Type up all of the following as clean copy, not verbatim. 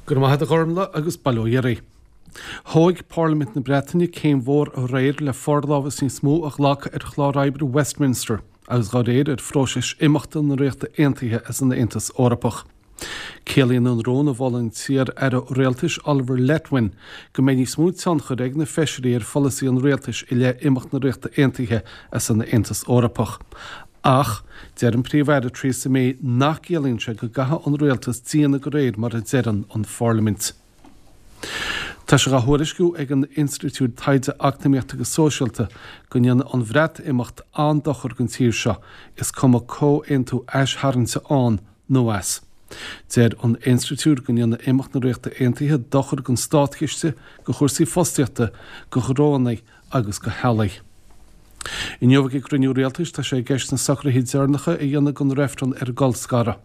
Go raibh maith agat a Ghormlaith agus bail ó Dhia oraibh. Thóig Parlaimint na Breataine céim mhór aréir le forlámhas níos mó a ghlacadh ar chlár oibre Westminster agus dá réir ar phróiseas imeachta na Ríochta Aontaithe as an Aontas Eorpach. Ciallaíonn an rún a mhol an t-iar-aire rialtais Oliver Letwin go mbeidh níos mó tionchair ag na feisirí ar pholasaí an rialtais i leith imeacht na Ríochta Aontaithe as an Aontas Eorpach. Ach, deir an Príomh-Aire Theresa May nach gciallaíonn sé go gcaithfidh an rialtas déanamh de réir mar a deireann an Pharlaimint. Tá sé dhá thuairisciú ag an Institiúid Taighde Eacnamaíochta agus Sóisialta go ndéanfaidh an Bhreatimeacht an-dochar don tír seo, is cuma comhaontú aistharraingte ann nó as. Deir an Institiúid go ndéanfaidh imeacht na Ríochta Aontaithe dochar don státchiste, do chúrsaí fostaíochta, do ghnóanna agus do theaghlaigh. Inniu ag an gcruinniú rialtais tá sé i gceist na socruithe deireanacha a dhéanamh don reifreann ar an gcolscaradh.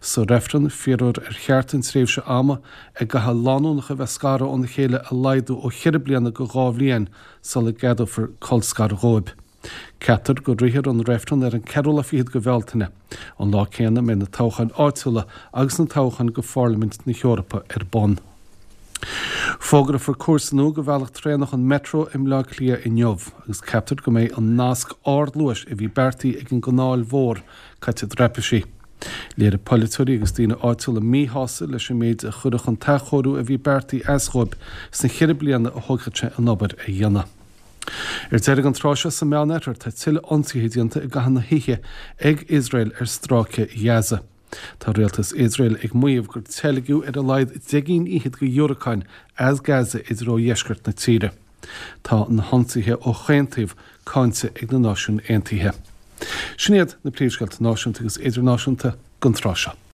Sa reifreann, fiafrófar ar cheart an tréimhse ama a gcaithfidh lánúineacha a bheith scartha óna chéile a laghdú ó cheithre bliana go 2 bhliain sula gceadófar colscaradh dhóibh. Ceaptar go rithfear an reifreann ar an ceathrú lá fichead de Bhealtaine, an lá céanna a mbeidh na toghcháin áitiúla agus na toghcháin go Pharlaimint na hEorpa ar bun. Fógrófar cúrsa nua do bhealach traenach an Metro i mBleá Cliath inniu agus ceaptar go mbeidh an nasc ardluais a bhí beartaithe ag an gCanáil Mhór caite i dtraipisí. Léirigh polaiteoirí agus daoine áitiúla míshásamh leis an méid a chuirfeadh an t-athchóiriú a bhí beartaithe as dhóibh sna cheithre bliana a thógfadh sé an obair a dhéanamh. Ar deireadh an tráth seo sa Meánoirthear tá tuilleadh ionsaithe déanta i gcaitheamh na hoíche ag Iosrael ar stráice Ghaza. Tá rialtas Iosrael ag maíomh gur teilgeadh ar a laghad deich gcinn fhichead de dhiúracáin as Gaza i dtreo dheisceart na tíre. Tá na hionsaithe ó chaon taobh cáinte ag na Náisiúin Aontaithe. Sin iad na príomhscéalta náisiúnta agus idirnáisiúnta don tráth seo.